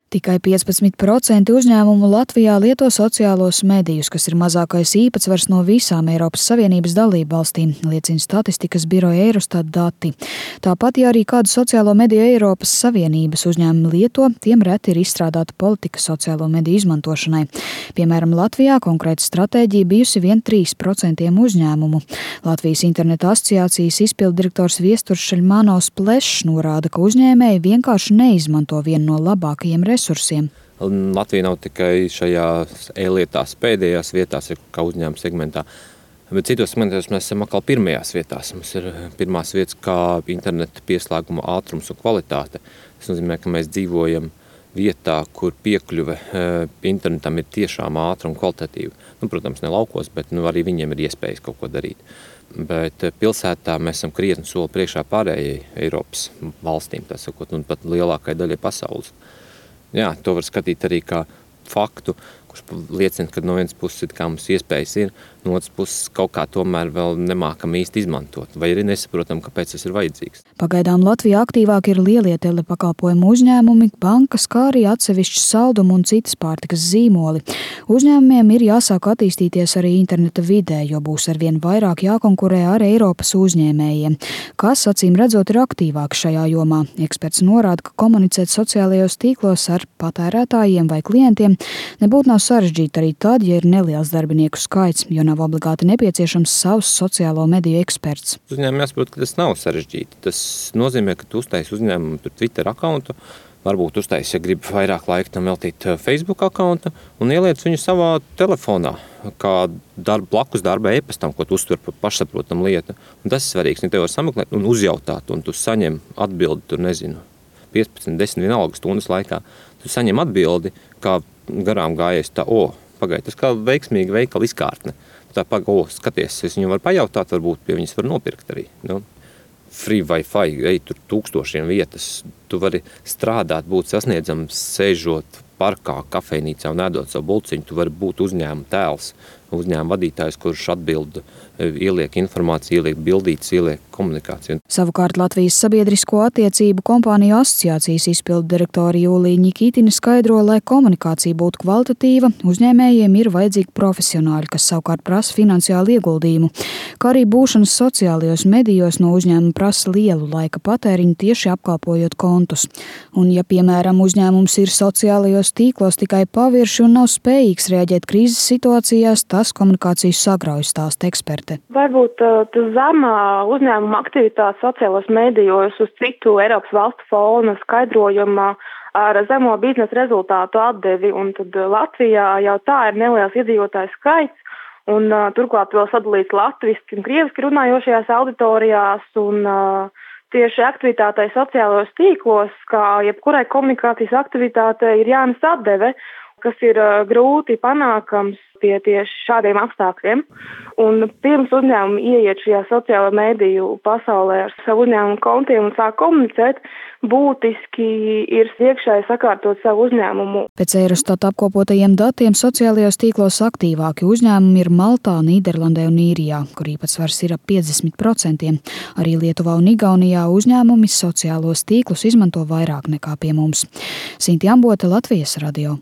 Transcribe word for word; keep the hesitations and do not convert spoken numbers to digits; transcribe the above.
Tikai piecpadsmit procenti uzņēmumu Latvijā lieto sociālos medijus, kas ir mazākais īpatsvars no visām Eiropas Savienības dalībvalstīm, liecina statistikas biroja Eurostat dati. Tāpat, ja arī kādu sociālo mediju Eiropas Savienības uzņēmumi lieto, tiem reti ir izstrādāta politika sociālo mediju izmantošanai. Piemēram, Latvijā konkrēta stratēģija bijusi vien trīs procenti uzņēmumu. Latvijas interneta asociācijas izpilddirektors Viesturs Šeļmanovs Plešs norāda, ka uzņēmēji vienkārši neizmanto vienu no labākajiem resursiem. Resursiem. Latvija nav tikai šajās e-lietās pēdējās vietās, kā uzņēmuma segmentā, bet citos segmentos mēs esam atkal pirmajās vietās. Mums ir pirmās vietas kā interneta pieslēguma ātrums un kvalitāte. Tas nozīmē, ka mēs dzīvojam vietā, kur piekļuve internetam ir tiešām ātra un kvalitatīva. Nu, protams, ne laukos, bet nu, arī viņiem ir iespējas kaut ko darīt. Bet pilsētā mēs esam krietni soli priekšā pārējai Eiropas valstīm, tā sakot, un pat lielākai daļai pasaules. Jā, to var skatīt arī kā faktu, kurš liecina, ka no vienas puses ir, kā mums iespējas ir, no otras puses kaut kā tomēr vēl nemākam īsti izmantot, vai arī nesaprotam, kāpēc tas ir vajadzīgs. Pagaidām Latvijā aktīvāk ir lielie telepakalpojumu uzņēmumi, bankas, kā arī atsevišķi saldumu un citas pārtikas zīmoli. Uzņēmumiem ir jāsāk attīstīties arī interneta vidē, jo būs arvien vairāk jākonkurē ar Eiropas uzņēmējiem, kas, acīm redzot, ir aktīvāk šajā jomā. Eksperts norāda, ka komunicēt sociālajos tīklos ar patērētājiem vai klientiem nebūtu nav sarežģīti arī tad, ja ir neliels darbinieku skaits, jo nav obligāti nepieciešams savs sociālo mediju eksperts. Uzņēmumiem jāsaprot, ka tas nav sarežģīti. Tas nozīmē, ka tu uztaisi uzņēmumu tur Twitter akauntu, varbūt uztaisi, ja grib vairāk laika tam veltīt Facebook akauntu un ieliec viņu savā telefonā, kā darba, blakus darba e-pastam, ko tu uztver par pašsaprotam lietu. Un tas ir svarīgs, ja tev var sameklēt un uzjautāt, un tu saņem atbildi, tur nezinu, piecpadsmit, desmit vienalga stundas laikā. Tu saņem atbildi, kā garām gājies tā, o, pagaid, tas kā veiksmīga veikala izkārtne. Tā pagaid, o, skaties, es viņu varu pajautāt, varbūt pie viņas var nopirkt arī. Nu, free Wi-Fi, ej tur tūkstošiem vietas, tu vari strādāt, būt sasniedzams, sēžot parkā, kafejnīcā un ēdot savu bulciņu, tu vari būt uzņēmuma tēls, uzņēmuma vadītājs, kurš atbild, ieliek informāciju, ieliek bildītes, ieliek komunikāciju. Savukārt Latvijas sabiedrisko attiecību kompāniju asociācijas izpilddirektori Jūlija Ņikītina skaidro, lai komunikācija būtu kvalitatīva, uzņēmējiem ir vajadzīgi profesionāļi, kas savukārt prasa finansiālu ieguldījumu, kā arī būšanas sociālajos medijos no uzņēmuma prasa lielu laika patēriņu tieši apkalpojot kontus. Un ja, piemēram, uzņēmums ir sociālajos tīklos tikai pavirši un nav spējīgs reaģēt krīzes situācijās, tas komunikāciju sagrauj, stāsta eksperte. Varbūt uh, tas zemā uzņēmuma aktivitāte sociālos medijos uz citu Eiropas valstu fona skaidrojumā ar zemo biznesa rezultātu atdevi, un tad Latvijā jau tā ir neliels iedzīvotāju skaits, un uh, turklāt vēl sadalīts latviski un krieviski runājošajās auditorijās, un uh, tieši aktivitātei sociālajos tīklos, kā jebkurai komunikācijas aktivitātei, ir jānes atdeve, kas ir uh, grūti panākams pie tieši šādiem apstākļiem. Un pirms uzņēmumi ieiet šajā sociālo mediju pasaulē ar savu uzņēmumu kontiem un sāk komunicēt, būtiski ir iekšēji sakārtot savu uzņēmumu. Pēc Eurostat apkopotajiem datiem sociālajos tīklos aktīvāki uzņēmumi ir Maltā, Nīderlandē un Īrijā, kur īpatsvars ir ap piecdesmit procenti. Arī Lietuvā un Igaunijā uzņēmumi sociālos tīklus izmanto vairāk nekā pie mums. Sinti Ambota, Latvijas radio.